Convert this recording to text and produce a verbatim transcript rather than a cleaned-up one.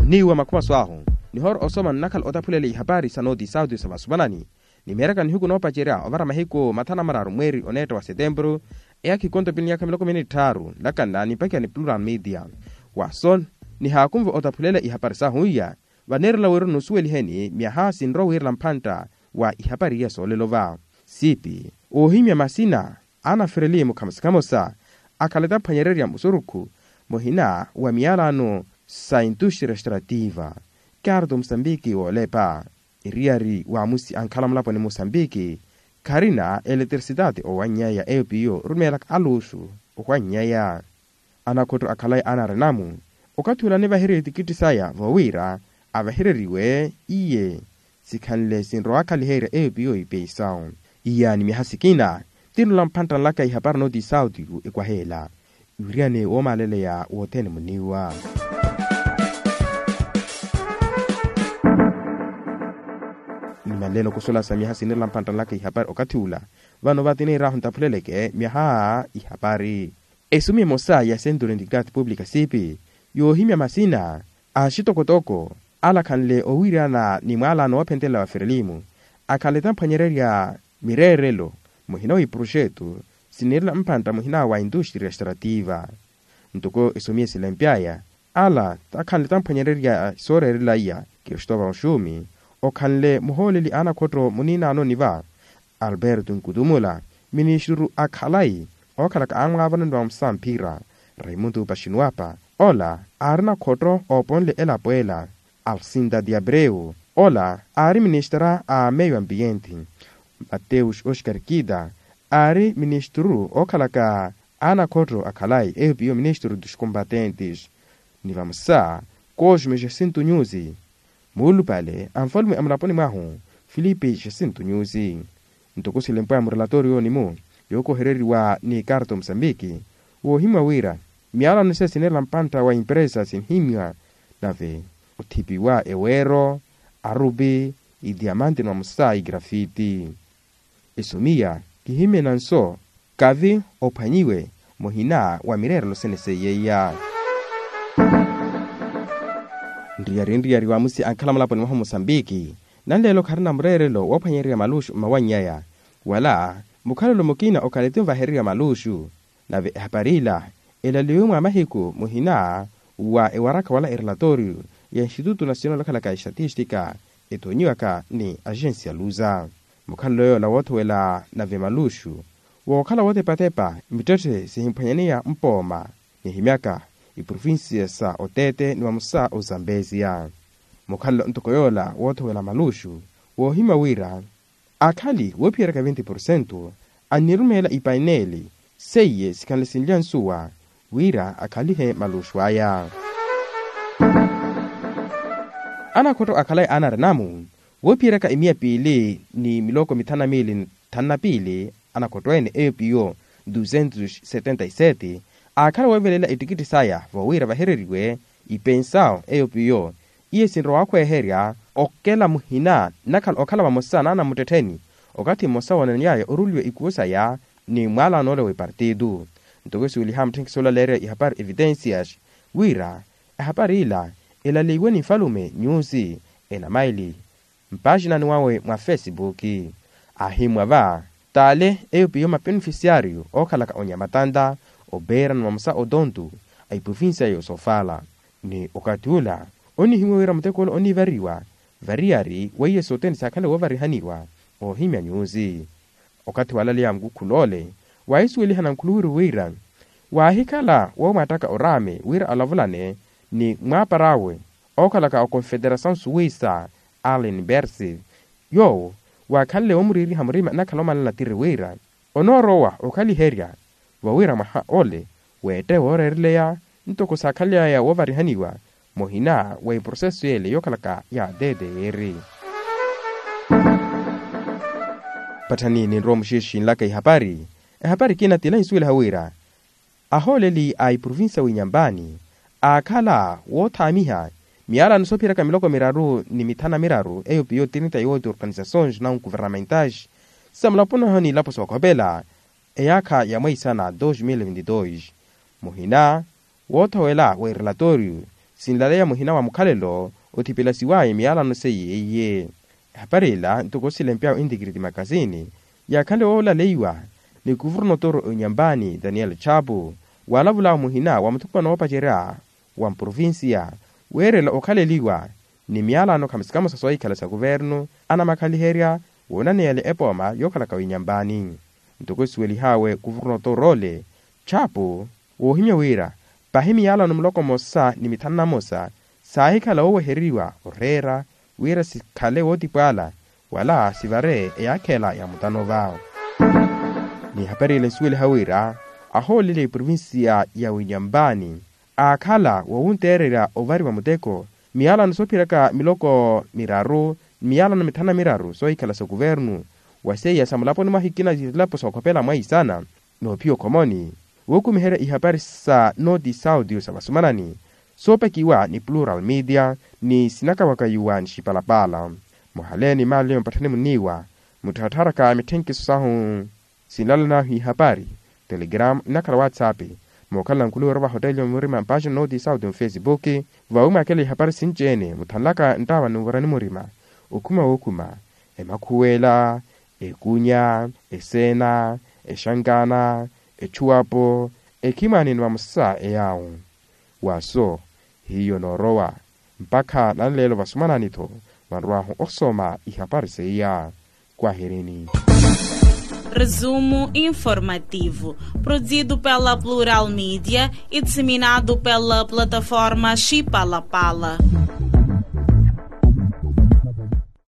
Niiwa makhumaso ahu nihoora osoma nnakhala otaphulela ihapari sa nooti sauti sa vasuvanani. Nimeeraka nihiku noopacerya ovara mahiku mathanu na mararu mweeri oneetta wa setempuru, eyaakha ikonto pili ni yaakha miloko mini tthaaru nlakanla nipakiha ni plural media. Waso nihaakunva otaphulela ihapari sahu iya, vaneerela wira nusuweliheni myaha sinrowa wiirela mphantta wa ihapari iya soolelo va siipi. Oohimya masina ana ferelimu khamosa khamosa akhala etaphwanyererya musurukhu muhina wa miyalano sa industria extrativa. Karto musambiki woolepa eriyari wa musi ankhala mulaponi musambiki kharina eletrisidade owannyaya eyo piyo orumeelaka aluxu ohwannyaya. Anakhotto akhalayi anarinamu okathi ula anivaheriwe etikitti saya voowiira avahereriwe iye sikhanle sinrowa akhaliherya eyo piyo ipensawu. Iya ni myaha sikina tinula mphantta nlaka ihapari nooti sauti ekwaheela iwiriyane woomaleleya wothene muniiwa. Nimaleno kusulasa myaha sinirela mphantta nlaka ihapari okathi ula vano vati niiraahu ntaphuleleke myaha ihapari. Esumi emosa ya centro de identidade pública siipi yoohimya masina axitokotoko alakhanle owiirana ni mwaalano woophentelela wa ferelimu akhanle tamphwanyererya mireerelo muhina wa iproxetu siniirela mphantta muhina wa industria extrativa. Ntoko esomiye silempyaya ala takhanle tamphwanyererya sooreerela iya. Kristova oxumi okhanle muhooleli anakhotto muniinaanoni va alberto nkutumula ministru a khalayi ookhalaka amwaavanoni wa musamphira raimundo paxinuapa ola aari nakhotto ooponle elapo ela. Alcinda diabreu ola aari ministra a meio ambiente. Mateus oscar kida aari ministru ookhalaka anakhotto a khalayi eyo piyo ministru dos combatentes. Ni vamosa cosme jacinto nyusi muulupale a nfalume a mulaponi mwahu filipe jacinto nyusi. Ntoko silempo ya murelatoriyo nimu yookohereriwa ni karto musambiki woohimwa wira miyalano se sineerela mpantta wa impresa sinihimwa nave othipiwa eweero arupi idiamante ni vamosa igrafiti. Esomiya kihimyena nso kavi ophwanyiwe muhina wa mireerelo sene seiyeiya. Nriyari nriyari wa musi ankhala mulaponi mwahu musambiki nanleelo kharina mureerelo woophwanyererya maluxu mmawannyaya wala mukhalelo mukina okhaleti nvahererya maluxu. Nave ehapari ila elaliwe mwa mahiku muhina wa ewarakha wala erelatoriyo ya instituto nacional okhalaka estatistika etoonyiwaka ni agensia luza. Mukhalelo yoola woothowela nave maluxu wookhala wootepatepa mittetthe sihimphwanyaneya mpooma nihimyaka iprovincia sa otete ni vamosa ozambesia. Mukhalelo ntoko yoola woothowela maluxu woohimya wira akhali woophiyeraka vinte porcento annirumeela ipaineli seiye sikhanle sinlya nsuwa wira akhalihe maluxu aya. Anakhotto akhalayi anarinamu woophiyeraka imiya piili ni miloko mithanu na miili nthanu na piili anakhotto ene eyo piyo duzentos setenta y sete aakhala weevelela ettikitthi saya voowiira vahereriwe ipensawo eyo piyo iye sinrowa wakhweeherya okela muhina nnakhala okhala vamosa n'anamuttettheni okathi mmosa woonaneyaya oruliwa ikuwo saya ni mwaalano ole w'epartitu. Ntoko esuweliha mutthenkisi olaleerya ihapari evitencias wira ehapari ila elaliwe ni nfalume nyusi enamaili mpaxinani wawe mwa fesipuki. Aahimmwa va taale eyo piyo mapenefisiariyo ookhalaka onyamatanta opeera ni mamosa otontu a iprovincia y'osofala ni okathi ula onihimmwa wira muteko ole oniivariwa variyari weiye sothene saakhale woovarihaniwa oohimya nyusi. Okathi walaleya mukukhul'ole waahisuwelihana nkhuluwiru wira waahikhala woomwaattaka oraame wira alavulane ni mwaapar'awe ookhalaka okonfederasaw suwisa allen berse yoowo waakhanle woomuriiriha murima nnakhala omalala tiri wira onoorowa okhaliherya vawira mwaha ole weette wooreereleya ntoko saakhaly'aya woovarihaniwa muhina wa eproseso y'ele yookhalaka ya ttr. Patthani ninrowa muxiixi nlaka ihapari ehapari kina tila insuweliha wira ahooleli a iprovincia w'inyambani aakhala woothaamiha miyalano soophiyeraka miloko miraru ni mithanu na miraru eyo piyo trinta y oito organisações não governamentais sa mulaponi wahu n'ilapo sookhopela eyaakha ya mweisana dos mil vinti dos muhina woothowela wa erelatoriyo sinlaleya muhina wa mukhalelo othipelasiwaya miyalano seiye iye. Ehapari ila ntoko silempyawe intikiriti makasini yaakhanle woolaleiwa ni kuvurnotoru onyambani daniel chapu, waalavulawo muhina wa muthukupa noopacerya wa mprovincia weerela okhaleliwa ni miyalano khamusikamusa soohikhala sa kuvernu anamakhaliherya woonaneyale epooma yookhalaka winyambani. Ntoko esuwelihawe kuvurnotoru ole chapu woohimya wira pahi miyalano muloko mmosa ni mithanu na mmosa saahikhala wooweheriwa oreera wira sikhale wootipwaala wala sivare eyaakhela ya mutanova. Ni ehapari ela ensuweliha wira ahoolele eprovincia ya winyambani aakhala woowunteererya ovariwa muteko miyalano soophiryaka miloko miraru ni miyalano mithanu na miraru soohikhala sa kuvernu wa seiya sa mulaponi mwahikina zilapo sookhopela mwaisana noophiya okhomoni wookumiherya ihapari sa noti saudio sa vasumanani soopakiwa ni plural media ni sinakawakaiwa ni xipalapala. Muhaleeni maali mpatthani muniiwa muttharatharaka mitthenkiso sahu sinlala nahu ihapari telegram inakhala whatsapp mookhala nkuluwero vahoteli omurima mpaxi noti saudio mfesipuki vawimwakela ihapari sinci-ene muthanlaka nttawa ni muvara ni murima okhuma wookhuma emakhuwela ekunya eseena exankana etchuwapo ekhimwaanini vamosa eyaawo waaso hiyo noorowa mpakha nanleelo vasumanani-tho vanrwaahu osoma ihapari seiya. Kwahirini. Resumo informativo produzido pela plural media e disseminado pela plataforma xipalapala.